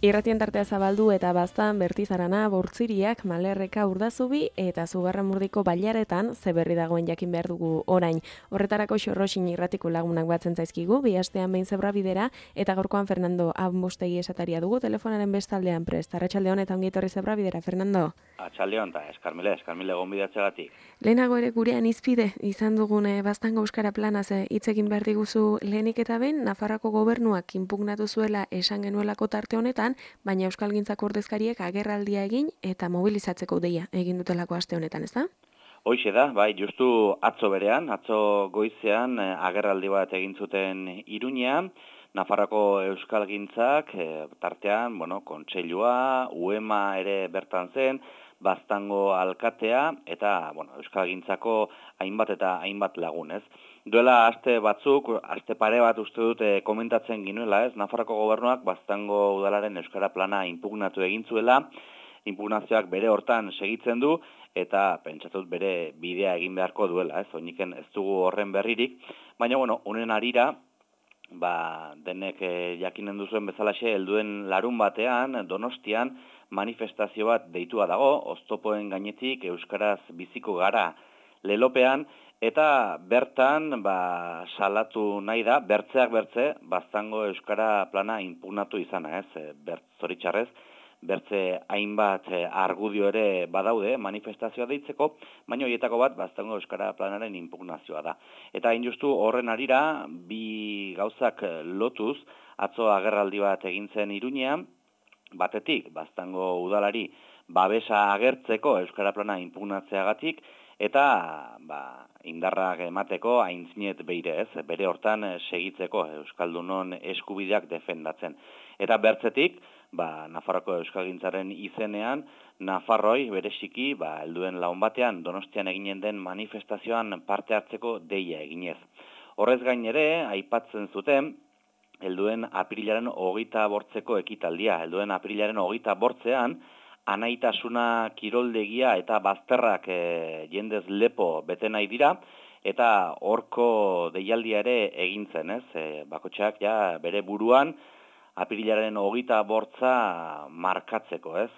Irratien tartea zabaldu eta baztan Bertizarana, Bortziriak, Malerreka, Urdazubi eta Zugarramurdiko Bailaretan zeberri dagoen jakin behar dugu orain. Horretarako Xorroxin irratiko lagunak batzen zaizkigu, bi astean behin Zebrabidera eta gaurkoan Fernando Amostegi esataria dugu telefonaren bestaldean prest. Arratsaldeon eta ongi etorri Zebrabidera, Fernando. Atxaldeon, eta eskarmile gonbidatzeagatik. Lehenago ere gurean izpide izan dugun Baztango Euskara Planaz hitz egin behar diguzu lehenik eta behin, Nafarroako gobernuak inpugnatu zuela esan genuelako tarte honetan, baina Euskalgintzako ordezkariek agerraldia egin eta mobilizatzeko deia egin dutelako aste honetan, ezta? Hoixe da, bai, justu atzo berean, atzo goizean agerraldi bat egin zuten Iruñean, Nafarroako Euskalgintzak tartean, kontseilua, UEMA ere bertan zen, Baztango alkatea eta Euskalgintzako hainbat lagun, ez? Duela aste batzuk, aste pare bat uste dut komentatzen ginuela, ez? Nafarroako gobernuak Baztango udalaren Euskara Plana inpugnatu egin zuela, inpugnazioak bere hortan segitzen du, eta pentsatut bere bidea egin beharko duela, ez? Oiniken ez dugu horren berririk, baina, honen arira, denek jakinen duzuen bezalaxe, helduen larun batean, Donostian, manifestazio bat deitua dago, oztopoen gainetik Euskaraz biziko gara lelopean, eta bertan salatu nahi da, bertzeak bertze, Baztango Euskara Plana inpugnatu izana, ez? Zoritxarrez, bertze hainbat argudio ere badaude manifestazioa deitzeko, baina horietako bat Baztango Euskara Planaren inpugnazioa da. Eta hain justu horren arira, bi gauzak lotuz, atzo agerraldi bat egin zen Iruñean, batetik, Baztango udalari babesa agertzeko Euskara Plana inpugnatzeagatik, eta indarrak emateko aintzinet beire, ez? Bere hortan segitzeko Euskaldunon eskubideak defendatzen. Eta bertzetik, Nafarroako Euskalgintzaren izenean, Nafarroi bereziki, helduen laun batean Donostian eginen den manifestazioan parte hartzeko deia eginez. Horrez gain ere, aipatzen zuten, helduen apirilaren 25 ekitaldia. Helduen apirilaren 25ean, anaitasuna kiroldegia eta bazterrak jendez lepo bete nahi dira, eta horko deialdia ere egintzen, ez? Bakotxeak bere buruan apirilaren 25 markatzeko, ez?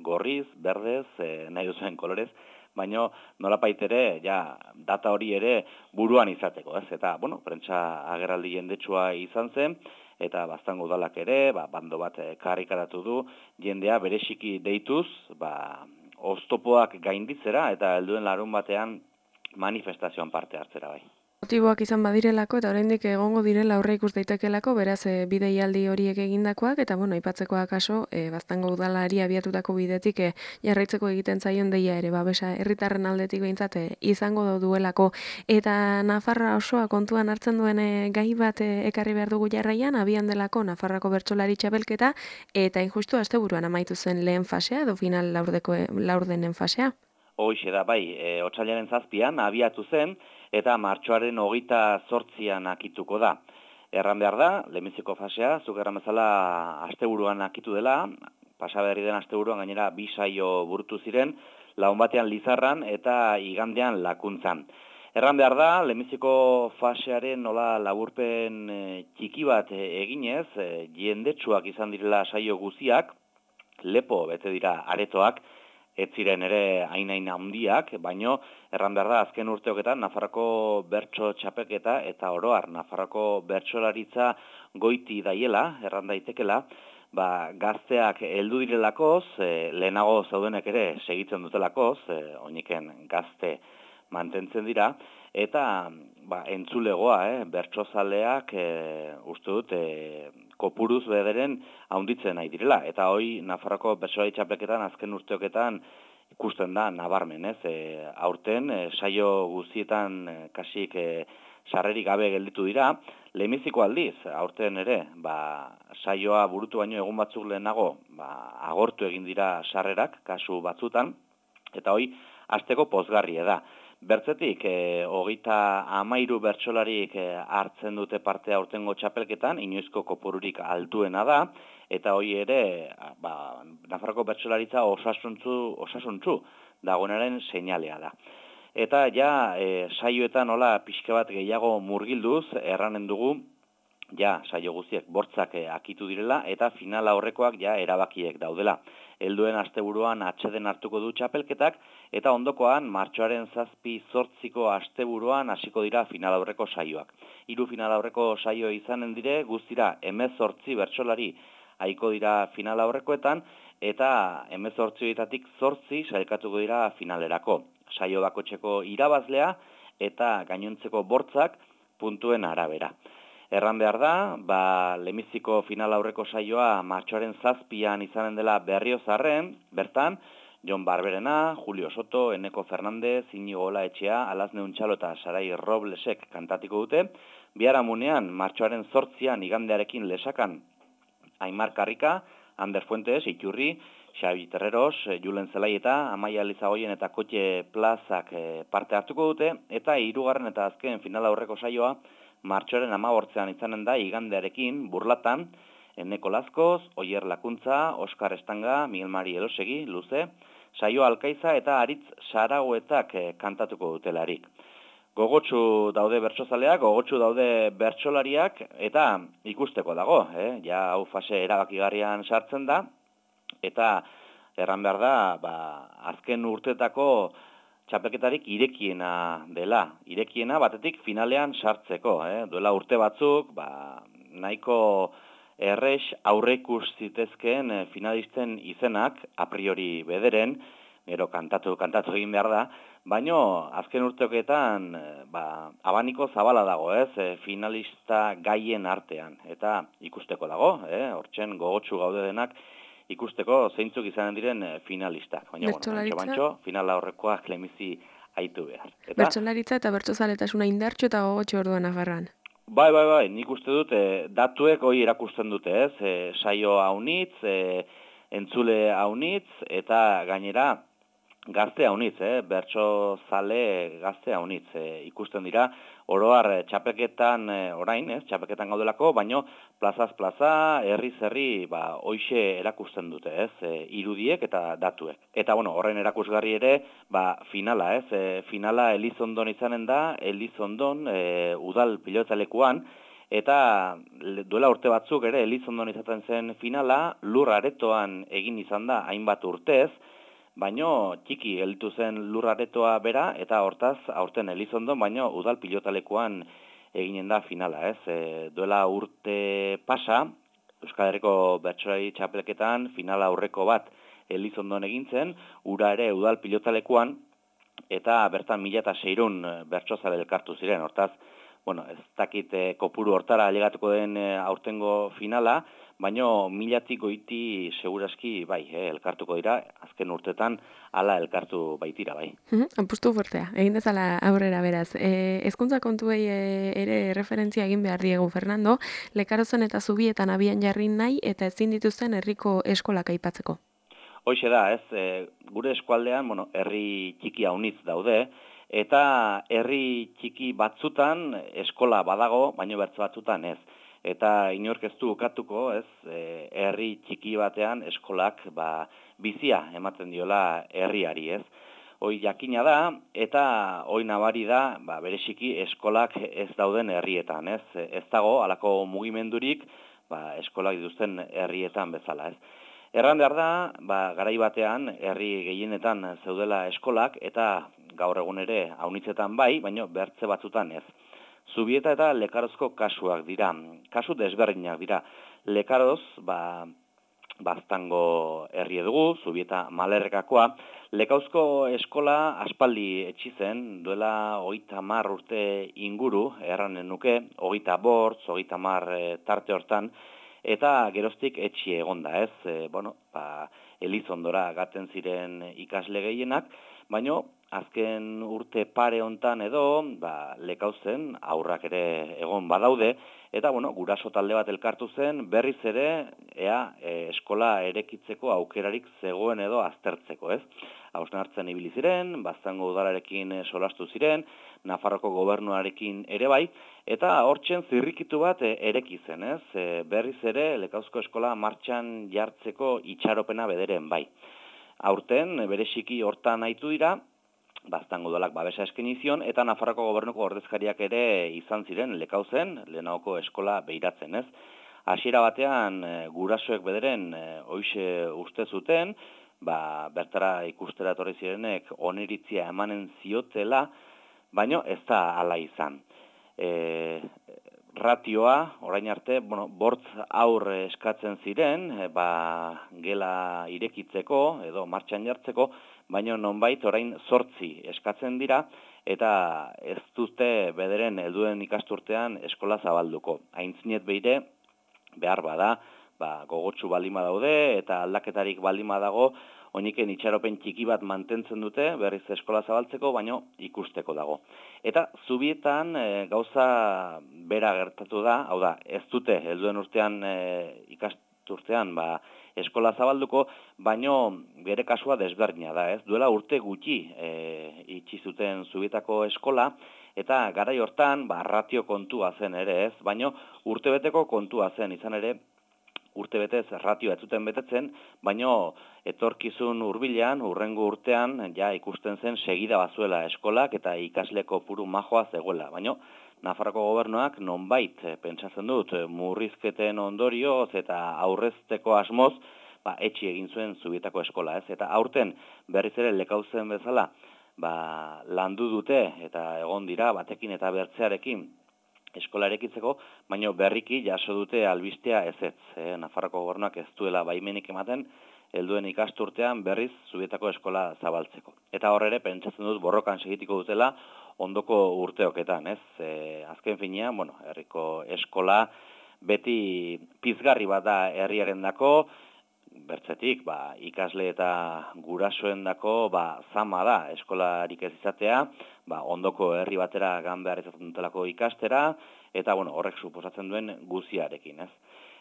Gorriz, berdez, nahi duzuen kolorez, baina nolapait ere, data hori ere buruan izateko, ez? Eta, prentsa agerraldi jendetsua izan zen, eta Baztango udalak ere, bando bat karrikaratu du, jendea bereziki deituz, oztopoak gainditzera, eta helduen larun batean manifestazioan parte hartzera bai. Motiboak izan badirelako eta oraindik egongo direla aurre ikus daitekelako, beraz bideialdi horiek egindakoak eta aipatzekoa kaso Baztango udalari abiatutako bidetik jarraitzeko egiten zaion deia ere babesa herritarren aldetik behintzat izango duelako, eta Nafarroa osoa kontuan hartzen duen gai bat ekarri behar dugu jarraian, abian delako Nafarroako bertsolari txapelketa eta injustu asteburuan amaitu zen lehen fasea edo final laurdenen fasea. Hoixe da, bai, otsailaren 7an abiatu zen, eta martxoaren 28an akituko da. Erran behar da, lehenbiziko fasea, zuk erran bezala asteburuan akitu dela, pasaberri den asteburuan gainera 2 saio burutu ziren, laun batean Lizarran eta igandean Lakuntzan. Erran behar da, lehenbiziko fasearen nola laburpen txiki bat eginez, jendetsuak izan direla saio guziak, lepo bete dira aretoak, ez ziren ere hain handiak, baino erran behar da azken urteoketan Nafarroako bertso txapelketa eta oroar Nafarroako bertsolaritza goiti daiela, erran daitekela, gazteak heldu direlakoz, lehenago zaudenek ere segitzen dutelakoz, oiniken gazte mantentzen dira, eta entzulegoa, bertsozaleak uste dut kopuruz bederen haunditzen nahi direla. Eta hoi Nafarroako bertsolari txapelketan azken urteoketan ikusten da nabarmen, ez? Aurten saio guztietan kasik sarrerik gabe gelditu dira, lehenbiziko aldiz, aurten ere, saioa burutu baino egun batzuk lehenago, agortu egin dira sarrerak, kasu batzutan, eta hoi hasteko pozgarria da. Bertzetik, 33 bertsolarik hartzen dute parte aurtengo txapelketan, inoizko kopururik altuena da, eta hoi ere, Nafarroako bertsolaritza osasuntsu dagoenaren seinalea da. Eta saioetan pixka bat gehiago murgilduz, erranen dugu, ja saio guztiek bortzak akitu direla eta final aurrekoak ja erabakiek daudela. Helduen asteburuan atseden hartuko du txapelketak eta ondokoan martxoaren 7-8ko asteburuan hasiko dira final aurreko saioak. 3 final aurreko saio izanen dire guztira 18 bertsolari haiko dira final aurrekoetan eta 18etatik 8 sailkatuko dira finalerako. Saio bakoitzeko irabazlea eta gainontzeko bortzak puntuen arabera. Erran behar da, lehenbiziko final aurreko saioa martxoaren 7an izanen dela Berriozarren, bertan, Jon Barberena, Julio Soto, Eneko Fernandez, Inigo Olaetxea, Alazne Untxalo eta Sarai Roblesek kantatiko dute, biharamunean martxoaren 8an igandearekin lesakan Aimar Karrika, Ander Fuentes, Iturri, Xabi Terreros, Julen Zelai eta Amaia Lizagoien eta Kotxe Plazak parte hartuko dute, eta 3. eta azken final aurreko saioa martxoaren 15an izanen da igandearekin Burlatan, Eneko Lazkoz, Oier Lakuntza, Oskar Estanga, Miguel Mari Elosegi, Luze, Saio Alkaiza eta Aritz Saragoetak kantatuko dutelarik. Gogotsu daude bertsozaleak, gogotsu daude bertsolariak eta ikusteko dago, ja hau fase erabakigarrian sartzen da eta erran behar da, azken urtetako txapelketarik irekiena dela. Irekiena batetik finalean sartzeko, duela urte batzuk, nahiko errex aurreikus zitezkeen finalisten izenak a priori bederen, gero kantatu egin behar da, baino azken urteoketan abaniko zabala dago, finalista gaien artean, eta ikusteko dago, hortzen gogotsu gaude denak, ikusteko zeintzuk izanen diren finalistak. Baina, bantxo, finala horrekoak lehenbizi haitu behar. Bertsolaritza eta bertsozaletasuna indartxo eta gogotxo orduan agarran. Bai, nik uste dut, datuek hori erakusten dute, saio haunitz, entzule haunitz, eta gainera gazte haunitz, bertsozale gazte haunitz. Ikusten dira, oroar txapelketan orain, txapelketan gaudelako, baino plazaz plaza, herri, hoixe erakusten dute, irudiek eta datuek. Eta, horren erakusgarri ere, finala, finala Elizondon izanen da, Elizondon udal pilotalekuan, eta duela urte batzuk ere Elizondon izaten zen finala, lur aretoan egin izan da hainbat urtez, baino txiki gelditu zen lur aretoa bera, eta hortaz, aurten Elizondon, baino udal pilotalekuan eginen da finala, duela urte pasa, Euskal Herriko bertsolari txapelketan finala aurreko bat Elizondon egin zen, ura ere udal pilotalekuan, eta bertan 1600 bertsozale elkartu ziren, hortaz, ez dakit kopuru hortara ailegatuko den aurtengo finala, baino 1000tik goiti seguraski elkartuko dira, azken urtetan hala elkartu baitira bai. Apustu fuertea, egin dezala aurrera beraz. Hezkuntza kontuei ere referentzia egin behar diegu, Fernando, Lekarozen eta Zubietan abian jarri nahi eta ezin dituzten herriko eskolak aipatzeko. Hoixe da, gure eskualdean, herri txiki haunitz daude, eta herri txiki batzutan eskola badago, baino bertze batzutan ez. Eta inork ez du ukatuko, herri txiki batean eskolak bizia ematen diola herriari, Hoi jakina da, eta hoi nabari da, bereziki eskolak ez dauden herrietan, Ez dago, halako mugimendurik, eskolak dituzten herrietan bezala, Erran behar da, garai batean, herri gehienetan zeudela eskolak, eta gaur egun ere haunitzetan bai, baino bertze batzutan ez. Zubieta eta Lekarozko kasuak dira, kasu desberdinak dira. Lekaroz, Baztango herri dugu, Zubieta Malerrekakoa. Lekauzko eskola aspaldi etxi zen, duela 30 urte inguru, erranen nuke, 25, 30 tarte hortan, eta geroztik etxi egonda, Elizondora gaten ziren ikasle gehienak, baino azken urte pare hontan edo, Lekauzen aurrak ere egon badaude, eta guraso talde bat elkartu zen, berriz ere, eskola erekitzeko aukerarik zegoen edo aztertzeko, Hausnartzen ibili ziren, Baztango udalarekin solastu ziren, Nafarroko gobernuarekin ere bai, eta hortzen zirrikitu bat ereki zen, berriz ere Lekauzko eskola martxan jartzeko itxaropena bederen bai. Aurten, bereziki hortan nahitu dira, Baztango udalak babesa eskaini zion, eta Nafarroako gobernuko ordezkariak ere izan ziren lekauzen, lehenagoko eskola behiratzen, ez? Hasiera batean, gurasoek bederen, hoize uste zuten, bertara ikustera etorri zirenek oniritzia emanen ziotela, baino ez da hala izan. Ratioa, orain arte, bortz aur eskatzen ziren, gela irekitzeko edo martxan jartzeko, baina nonbait orain 8 eskatzen dira, eta ez dute bederen helduen ikasturtean eskola zabalduko. Aintzinet beire, behar bada, gogotsu baldin badaude, eta aldaketarik baldin badago, oiniken itxaropen txiki bat mantentzen dute, berriz eskola zabaltzeko, baino ikusteko dago. Eta zubietan gauza bera gertatu da, hau da, ez dute helduen urtean ikasturtean eskola zabalduko, baino bere kasua desberdina da, ez? Duela urte gutxi itxi zuten zubietako eskola, eta garai hortan ratio kontua zen ere, ez? Baino urtebeteko kontua zen, izan ere, urtebetez ratioa ez zuten betetzen, baino etorkizun hurbilean, hurrengo urtean, ikusten zen segida bazuela eskolak eta ikasle kopuru majoa zegoela. Baino, Nafarroko gobernuak nonbait pentsatzen dut murrizketen ondorioz eta aurrezteko asmoz, etxi egin zuen zubietako eskola, ez? Eta aurten berriz ere lekauzen bezala, landu dute eta egon dira batekin eta bertzearekin eskola erekitzeko, baina berriki jaso dute albistea ezetz. Nafarroko gobernuak ez duela baimenik ematen, helduen ikasturtean berriz zubietako eskola zabaltzeko. Eta hor ere, pentsatzen dut borrokan segitiko dutela ondoko urteoketan, ez? Azken finean, herriko eskola beti pizgarri bat da herriarendako, bertzetik, ikasle eta gurasoendako zama da eskolarik ez izatea, ondoko herri batera gan behar izaten dutelako ikastera, eta horrek suposatzen duen guziarekin, ez?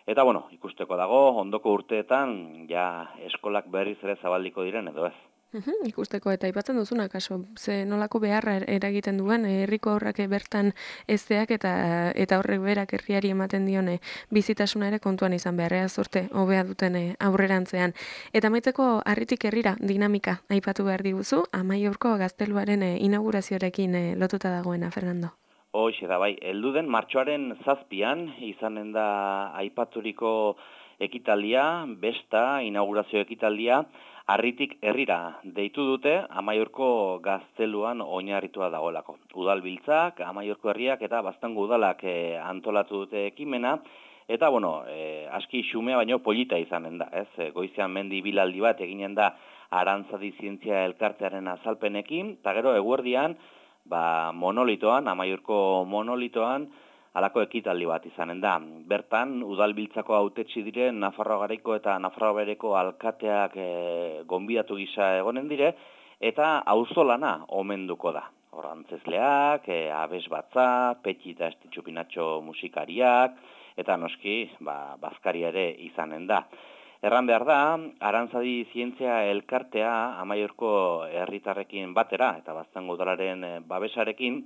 Eta ikusteko dago, ondoko urteetan eskolak berriz ere zabaldiko diren edo ez. Ikusteko eta aipatzen duzuna, kaso, ze nolako beharra eragiten duen, herriko aurrak bertan ezteak eta horrek berak herriari ematen dione bizitasuna ere kontuan izan beharrea zorte, hobea duten aurrerantzean. Eta amaitzeko harritik herrira dinamika aipatu behar diguzu, Amaiurko gazteluaren inaugurazioarekin lotuta dagoena, Fernando. Hoxe da, heldu den martxoaren 7 izanen da aipaturiko ekitaldia, besta, inaugurazio ekitaldia, harritik herrira deitu dute Amaiurko gazteluan oinarritua dagoelako. Udalbiltzak, Amaiurko herriak eta Baztango udalak antolatu dute ekimena, eta aski xumea baino polita izanen da, ez? Goizean mendi bilaldi bat eginen da Arantzadi Zientzia Elkartearen azalpenekin, eta gero eguerdian, monolitoan, Amaiurko monolitoan, halako ekitaldi bat izanen da. Bertan, udalbiltzako hautetsi diren Nafarroa Garaiko eta Nafarroa Behereko alkateak gonbidatu gisa egonen dire, eta auzolana omenduko da. Antzezleak, abesbatza, Petxi eta Estitxupinatxo musikariak, eta noski, bazkaria ere izanen da. Erran behar da, Arantzadi Zientzia Elkartea Amaiurko herritarrekin batera, eta Baztango udalaren babesarekin,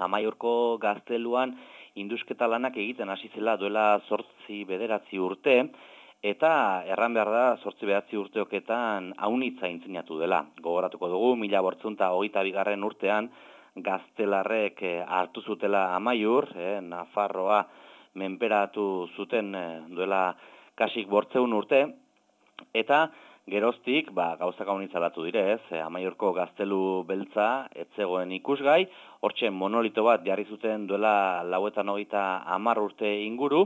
Amaiurko gazteluan indusketa lanak egiten hasi zela duela 8-9 urte, eta erran behar da 8-9 urteoketan aunitza intzinatu dela. Gogoratuko dugu, 1822 urtean gaztelarrek hartu zutela Amaiur, Nafarroa menperatu zuten duela kasik 800 urte, eta geroztik, gauzak aunitza latu dire, ez? Amaiurko gaztelu beltza, etzegoen ikusgai, hortxe monolito bat jarri zuten duela 90 urte inguru,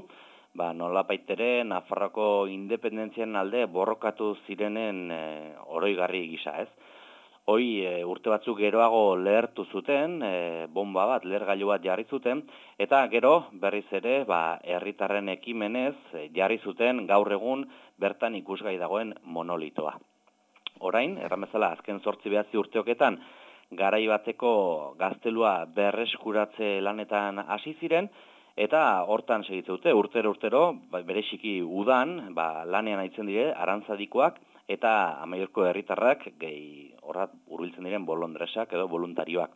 nolapaitere Nafarroako independentzian alde borrokatu zirenen oroigarri gisa, ez? Hoi urte batzuk geroago lehertu zuten, bomba bat, lehergailu bat jarri zuten, eta gero berriz ere herritarren ekimenez jarri zuten gaur egun bertan ikusgai dagoen monolitoa. Orain, erran bezala, azken 8-9 urteoketan, garai bateko gaztelua berreskuratze lanetan hasi ziren, eta hortan segitze dute, urtero, bereziki udan, lanean aitzen dire, Arantzadikoak, eta Amaiurko herritarrak horrat hurbiltzen diren bolondresak edo voluntarioak.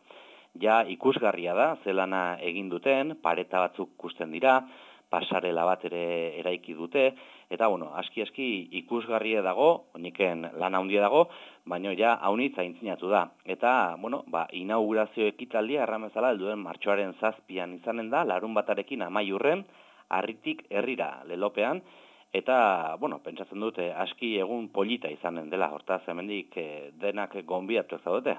Ja ikusgarria da, zelana egin duten, pareta batzuk ikusten dira, pasarela bat ere eraiki dute, eta bueno, aski ikusgarria dago, oiniken lan handia dago, baina ja haunitza aintzinatu da. Eta, bueno, inaugurazio ekitaldia erramezala helduen martxoaren 7 izanen da, larunbatarekin amaiurren, Harritik herrira lelopean, eta, bueno, pentsatzen dute aski egun polita izanen dela, hortaz hemendik denak gonbidatuak zaudete.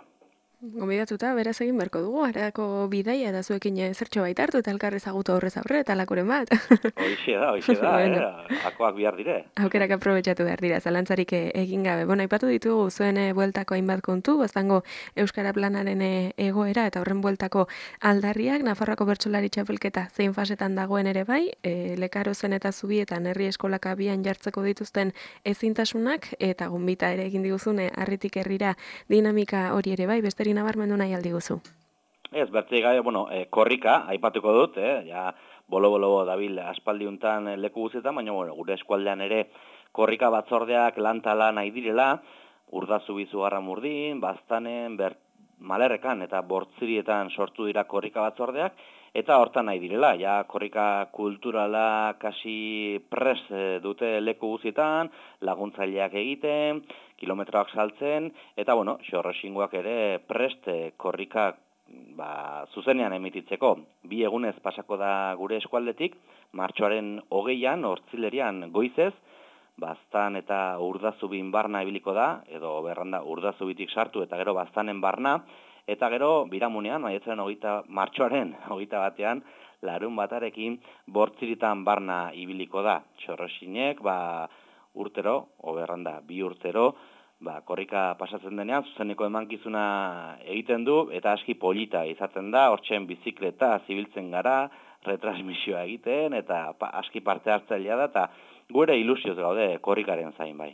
Gonbidatuta, beraz egin beharko dugu, harako bidaia eta zuekin zertxo baita hartu eta elkar ezagutu aurrez aurre eta lakoren bat. Hoixe da, bueno. Akoak bihar dire. Aukerak aprobetxatu behar dira, zalantzarik egin gabe. Bueno, aipatu ditugu zuen bueltako hainbat kontu, baztango Euskara Planaren egoera eta horren bueltako aldarriak, Nafarroako bertsolari txapelketa zein fasetan dagoen ere bai, Lekarozen eta Zubietan herri eskolak abian jartzeko dituzten ezintasunak, eta gonbita ere egin diguzune Harritik herrira dinamika hori ere bai, beste nabarmendu nahi aldi guzu. Ez, bertzei gabe, korrika, aipatuko dut, ja, bolo dabil aspaldiuntan leku guztietan, baina, gure eskualdean ere korrika batzordeak lantala nahi direla, Urdazubi Zugarramurdin, Baztanen, Malerrekan eta Bortzirietan sortu dira korrika batzordeak, eta hortan nahi direla, ja, korrika kulturala kasi pres dute leku guztietan, laguntzaileak egiten, kilometroak saltzen, eta, xorroxingoak ere prest korrika zuzenean emititzeko. 2 egunez pasako da gure eskualdetik, martxoaren 20an, Ortzilerian goizez, Baztan eta Urdazubin barna ibiliko da, edo berranda Urdazubitik sartu eta gero Baztanen barna, eta gero biramunean, martxoaren 21an, larunbatarekin Bortziritan barna ibiliko da. Xorroxinek, urtero, oberranda, 2 urtero, korrika pasatzen denean, zuzeneko emankizuna egiten du, eta aski polita izaten da, hortzen bizikleta zibiltzen gara, retransmisioa egiten, eta aski parte hartzailea da, eta gure ilusioz gaude korrikaren zain bai.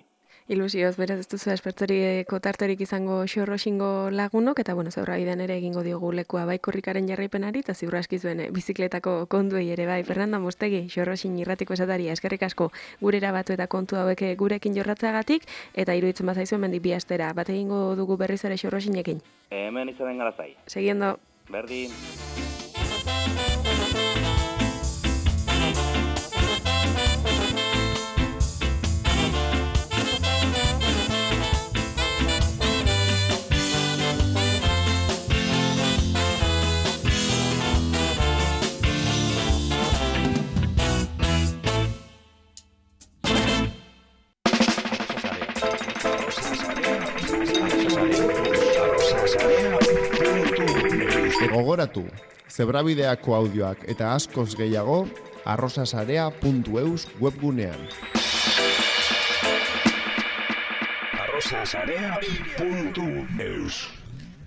Ilusioz, beraz ez duzu espertzoriko tarterik izango xorroxingo lagunok, eta zeurra bidean ere egingo diogu lekua bai korrikaren jarraipenari, eta ziurra aski zuen bizikletako kontuei ere bai. Fernanda Mostegi, xorroxin irratiko esataria, eskerrik asko gurera batu eta kontu hauek gurekin jorratzeagatik, eta iruditzen bazaizuen mendik bi astera. Bat egingo dugu berriz ere xorroxinekin. Hemen izanen gara zai. Segiendo. Berdin. Gogoratu, Zebrabideako audioak eta askoz gehiago arrosasarea.eus webgunean. arrosasarea.eus